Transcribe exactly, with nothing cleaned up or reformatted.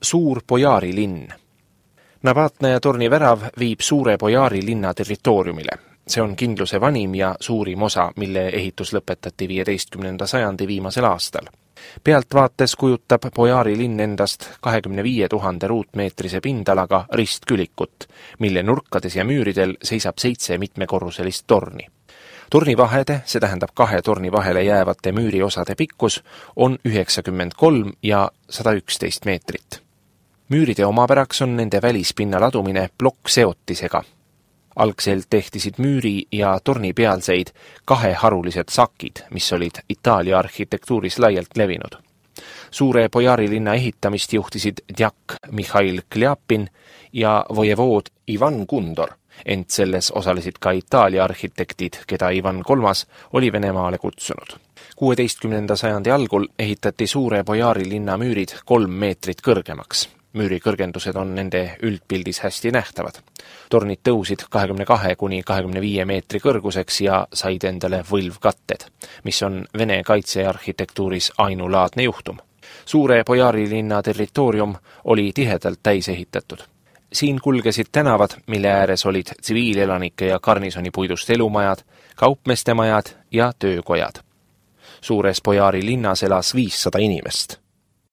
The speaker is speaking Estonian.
Suur Bojaari linn. Navatna ja torni värav viib Suure Bojaari linna territooriumile. See on kindluse vanim ja suurim osa, mille ehitus lõpetati viieteistkümnenda sajandi viimasel aastal. Pealtvaates kujutab Bojaari linn endast kahekümne viie tuhande ruutmeetrise pindalaga ristkülikut, mille nurkades ja müüridel seisab seitse mitmekorruselist torni. Tornivahede, see tähendab kahe torni vahele jäävate müüriosade pikkus, on üheksakümmend kolm ja sada üksteist meetrit. Müüride omapäraks on nende välispinna ladumine plokkseotisega. Algselt tehtisid müüri ja torni pealseid kaheharulised sakid, mis olid Itaalia arhitektuuris laialt levinud. Suure Bojaari linna ehitamist juhtisid djak Mihhail Kljapin ja vojevood Ivan Kundor, ent selles osalesid ka Itaalia arhitektid, keda Ivan kolmas oli Venemaale kutsunud. kuueteistkümnenda sajandi algul ehitati Suure Bojaari linna müürid kolm meetrit kõrgemaks. Müüri kõrgendused on nende üldpildis hästi nähtavad. Tornid tõusid kahekümne kahe kuni kahekümne viie meetri kõrguseks ja said endale võlvkatted, mis on Vene kaitsearhitektuuris ainulaadne juhtum. Suure Bojaari linna territoorium oli tihedalt täis ehitatud. Siin kulgesid tänavad, mille ääres olid tsiviilelanike ja garnisoni puidust elumajad, kaupmeeste majad ja töökojad. Suures Bojaari linnas elas viissada inimest.